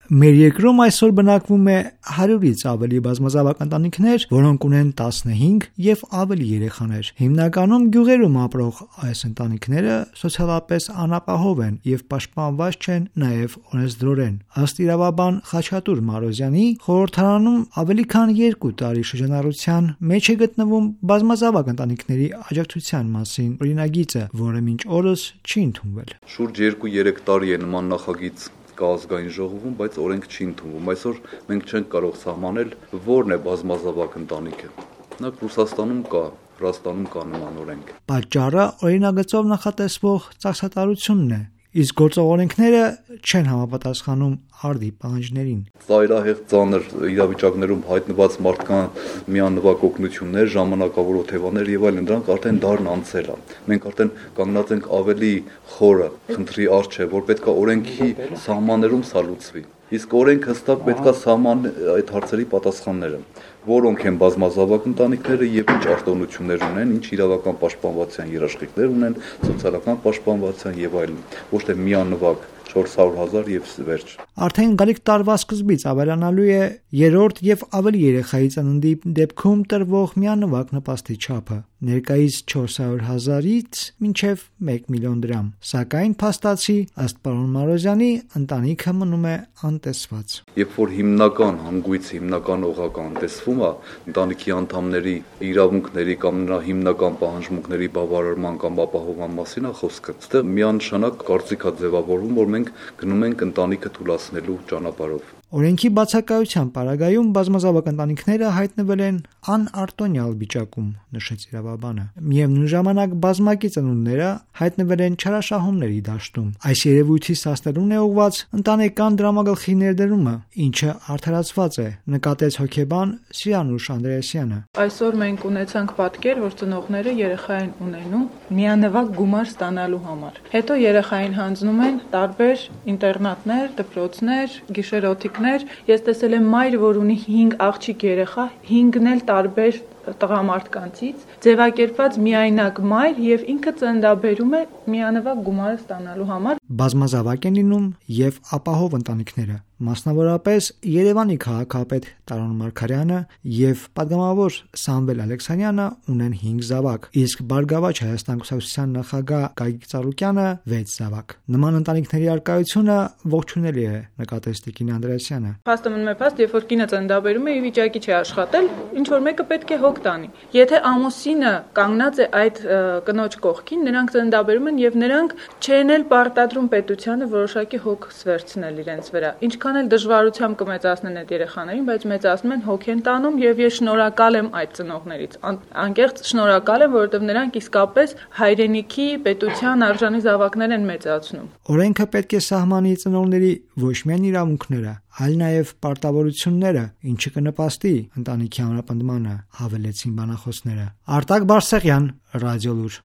Մեր երկրում այսօր բնակվում է 100-ից ավելի բազմազավակ ընտանիքներ, որոնք ունեն 15 եւ ավելի երեխաներ։ Հիմնականում գյուղերում ապրող այս ընտանիքները սոցիալապես անապահով են եւ պաշտպանված չեն նաեւ օրենսդրորեն։ Ըստ իրավաբան Խաչատուր Մարոզյանի, խորհրդարանում ավելի քան 2 տարի շրջանառության մեջ է գտնվում բազմազավակ ընտանիքների աջակցության մասին օրինագիծը, որը մինչ օրս չի ընդունվել։ Շուրջ 2-3 տարի է նման նախագիծ կա ազգային ժողովում, բայց օրենք չի ընդունվում։ Այսօր մենք չենք կարող սահմանել որն է բազմազավակ ընտանիքը։ Նախ Ռուսաստանում կա, Վրաստանում կա նման օրենք։ Պատճառը օրինագծով նախատեսվող ծախսատարությունն է, իսկ գործող օրենքները չեն համապատասխանում արդի պահանջներին։ Ծայրահեղ ծանր իրավիճակներում հայտնված մարդկան միանվագ օգնություններ, ժամանակավոր օթևաներ եւ այլն, դրանք արդեն դարն անցել է։ Մենք արդեն կանգնած ենք ավելի խորը խնդրի առջև, որ պետքա օրենքի սահմաններում սա լուծվի։ Իսկ օրենք հստակ պետքա սահման այդ հարցերի պատասխանները, որոնք են բազմազավակ ընտանիքները եւ ինչ արտոնություններ ունեն, ինչ իրավական պաշտպանվածության երաշխիքներ ունեն, սոցիալական պաշտպանվածության եւ այլն, ոչ թե միանվագ 400,000 եւ վերջ։ Արդեն գալիք տարվա սկզբից ավելանալու է երրորդ եւ ավելի երեխայի ծննդի դեպքում տրվող միանվագ նպաստի չափը, ներկայիս 400,000-ից մինչև 1 միլիոն դրամ։ Սակայն փաստացի, ըստ պարոն Մարոզյանի, ընտանիքը մնում է անտեսված։ Երբ որ հիմնական հանգույց, հիմնական օղակը անտեսվում է, ընտանիքի անդամների իրավունքների կամ նրա հիմնական պահանջմունքների բավարարման կամ ապահովման մասին է խոսքը, այստեղ միանշանակ կարծիք է ձևավորվում, որ մենք գնում ենք ընտանիքը թուլացնելու ճանապարհով։ Օրենքի բացակայության պարագայում բազմազավակ ընտանիքները հայտնվել են անարտոնյալ վիճակում, նշեց իրավաբանը։ Միևնույն ժամանակ բազմակի ծնունդները հայտնվել են չարաշահումների դաշտում։ Այս երևույթի սաստերուն է ուղված ընտանեկան դրամագլխի ներդրումը, ինչը արդարացված է, նկատեց հոգեբան Սիրանուշ Անդրեասյանը։ Այսօր մենք ունեցանք պատկեր, որ ծնողները երեխային ունենում միանվագ գումար ստանալու համար։ Հետո երեխային հանձնում են տարբեր ինտերնատներ, դպրոցներ, գիշերօթիկներ։ Ես տեսել եմ մայր, որ ունի 5 աղջիկ երեխա, 5-ն էլ տարբեր տղամարդկանցից, ձևակերպված միայնակ մայր եւ ինքը ծննդաբերում է միանվագ գումարը ստանալու համար։ Բազմազավակ են լինում եւ ապահով ընտանիքները, մասնավորապես Երևանի քաղաքապետ Տարոն Մարգարյանը եւ падգամավոր Սամվել Ալեքսանյանը ունեն 5 զավակ, իսկ Բարգավաճ Հայաստան կուսակցության նախագահ Գագիկ Ծառուկյանը 6 զավակ։ Նման ընտանիքների առկայությունը ողջունելի է, նկատեց Տիկին Անդրեասյանը։ Փաստը մնում է փաստ, երբ որ կինը ծննդաբերում է, ի վիճակի չի աշխատել, ինչ որ մեկը պետք է հոգ տանի։ Եթե ամուսինը կանգնած է այդ կնոջ կողքին, նրանք ծննդաբերում են եւ նրանք չեն էլ պարտադրում պետությանը որոշակի հոգ սվերցնել իրենց վրա։ Ինչքան էլ դժվարությամբ կմեծացնեն այդ երեխաներին, բայց մեծացնում են, հոգ են տանում եւ ես շնորհակալ եմ այդ ծնողներից։ Անկեղծ շնորհակալ եմ, որովհետեւ նրանք իսկապես հայրենիքի, պետության արժանի զավակներ են մեծացնում։ Օրենքը պետք է սահմանի ծնողների ոչ միայն իրավունքները, այլ նաև պարտավորությունները, ինչը կնպաստի ընտանիքի ամրապնդմանը, հավելեցին բանախոսները։ Արտակ Բարսեղյան, Ռադիոլուր։